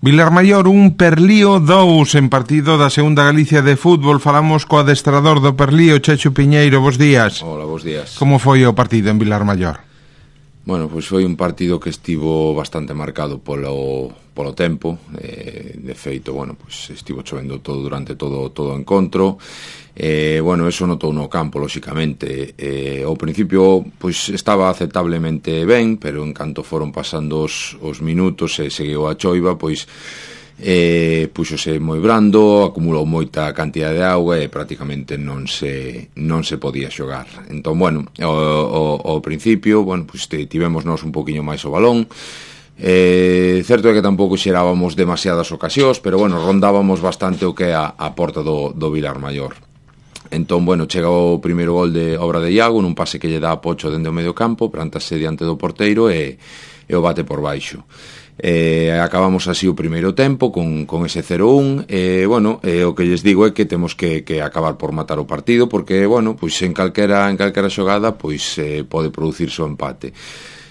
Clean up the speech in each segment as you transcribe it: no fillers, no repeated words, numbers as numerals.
Vilarmaior 1, Perlío 2 en partido da segunda Galicia de fútbol. Falamos co adestrador do Perlío, Checho Piñeiro. Bos días. Hola, bos días. Como foi o partido en Vilarmaior? Bueno, pois foi un partido que estivo bastante marcado polo tempo. De feito, bueno, pois estivo chovendo todo durante todo o encontro. Bueno, eso notou no campo, lóxicamente. Ao principio, pois estaba aceptablemente ben, pero en canto foron pasando os minutos e seguiu a choiva, pois puxose moi brando, acumulou moita cantidad de auga e prácticamente non se podía xogar. Entón, bueno, ao principio, bueno, pues tivemos nós un poquinho máis o balón. Certo é que tampouco xerábamos demasiadas ocasións, pero bueno, rondábamos bastante o que é a porta do Vilarmaior. Entón, bueno, chega o primeiro gol de obra de Iago nun pase que lle dá a Pocho dende o medio campo, plantase diante do porteiro e o bate por baixo. Acabamos así o primeiro tempo con ese 0-1. Bueno, o que lles digo é que temos que acabar por matar o partido, porque, bueno, pois en calquera xogada pois pode producirse o empate.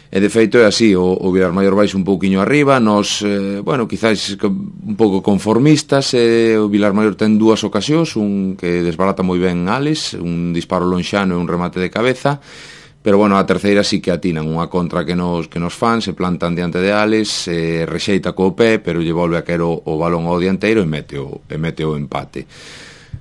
E de feito é así, o Vilarmaior vais un pouquiño arriba, nos, bueno, quizás un pouco conformistas. O Vilarmaior ten dúas ocasións, un que desbarata moi ben Alex, un disparo lonxano e un remate de cabeza, pero bueno, a terceira sí que atinan unha contra que nos fan, se plantan diante de Alex, rexeita co pé, pero lle volve a caer o balón ao dianteiro e mete o empate.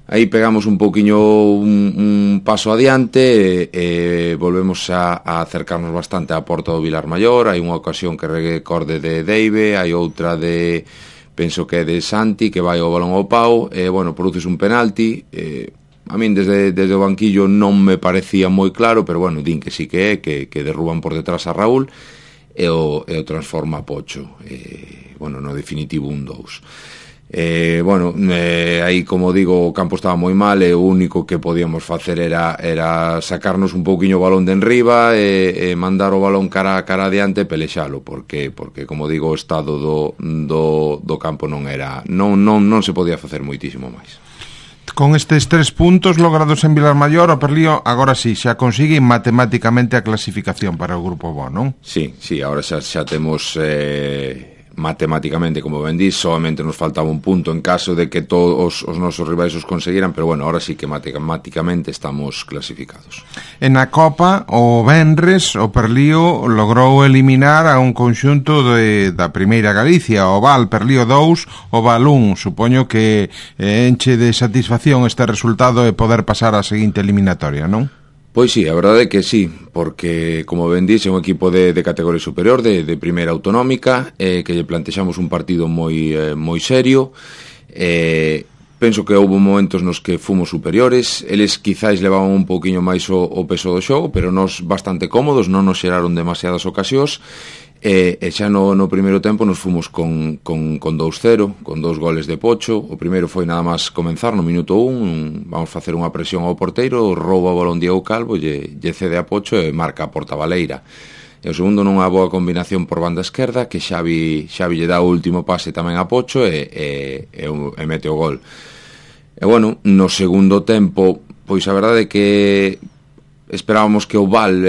Aí pegamos un pouquiño un paso adiante e volvemos a acercarnos bastante á porta do Vilarmaior. Hai unha ocasión que recorde de Deive, hai outra de, penso que é de Santi, que vai o balón ao pau, e bueno, produces un penalti. A min desde o banquillo non me parecía moi claro, pero bueno, din que sí que é, que derruban por detrás a Raúl e o transforma a Pocho. Bueno, no definitivo 1-2. Bueno, aí, como digo, o campo estaba moi mal e o único que podíamos facer era sacarnos un pouquiño o balón de enriba e mandar o balón cara adiante e pelexalo, porque como digo, o estado do campo non se podía facer moitísimo máis. Con estes 3 puntos logrados en Vilarmaior, o Perlío agora sí, xa consigue matemáticamente a clasificación para o grupo B, non? Sí, agora xa temos matemáticamente, como ben dís, solamente nos faltaba un punto en caso de que todos os nosos rivais os conseguiran, pero bueno, ahora sí que matemáticamente estamos clasificados. En a Copa, o venres, o Perlío logrou eliminar a un conxunto da Primeira Galicia, o Val, Perlío 2, o Val 1. Supoño que enche de satisfacción este resultado e poder pasar á seguinte eliminatoria, non? Pois sí, a verdade é que sí, porque, como ben dix, é un equipo de categoría superior, de primeira autonómica, que lle plantexamos un partido moi serio. Penso que houve momentos nos que fomos superiores, eles quizáis levaban un pouquiño máis o peso do xogo, pero nos bastante cómodos, non nos xeraron demasiadas ocasións. E xa no primeiro tempo nos fomos con 2-0, con 2 goles de Pocho. O primeiro foi nada máis comenzar no minuto 1, vamos facer unha presión ao porteiro, rouba o balón Diego Calvo, lle cede a Pocho e marca a porta baleira. E o segundo nunha boa combinación por banda esquerda, que Xavi lle dá o último pase tamén a Pocho e mete o gol. E bueno, no segundo tempo, pois a verdade é que esperábamos que o Val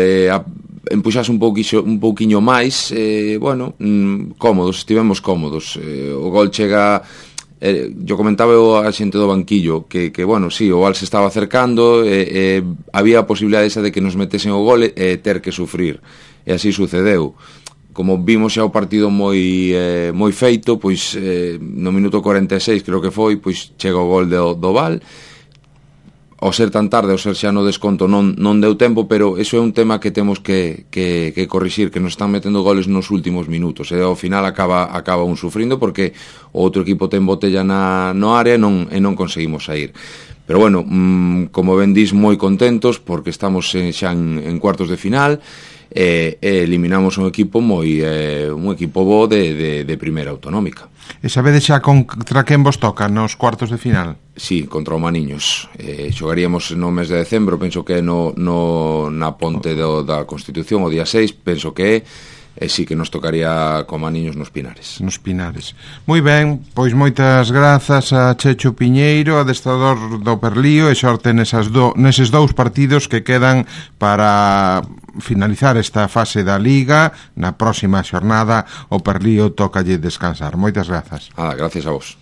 empuxase un pouquiño máis. Bueno, estivemos cómodos. O gol chega, yo comentaba a xente do banquillo que bueno, sí, o Val se estaba acercando, había a posibilidade esa de que nos metesen o gol e ter que sufrir, e así sucedeu. Como vimos xa o partido moi feito, pois no minuto 46 creo que foi, pois chega o gol do Val. Ao ser tan tarde, ao ser xa no desconto non deu tempo, pero eso é un tema que temos que corrixir, que nos están metendo goles nos últimos minutos, e ao final acaba un sufrindo porque o outro equipo ten botella no área e non conseguimos sair. Pero bueno, como ben dís, moi contentos porque estamos xa en cuartos de final e eliminamos un equipo bo de primeira autonómica. E sabedes xa contra quen vos toca nos cuartos de final? Sí, contra o Maniños. Xogaríamos no mes de decembro, penso que na ponte da Constitución, o día 6, penso que é. sí que nos tocaría como aniños nos Pinares. Nos Pinares. Moi ben, pois moitas grazas a Checho Piñeiro, adestrador do Perlío, e sorte neses dous partidos que quedan para finalizar esta fase da Liga. Na próxima xornada o Perlío tócalle descansar. Moitas grazas. Gracias a vos.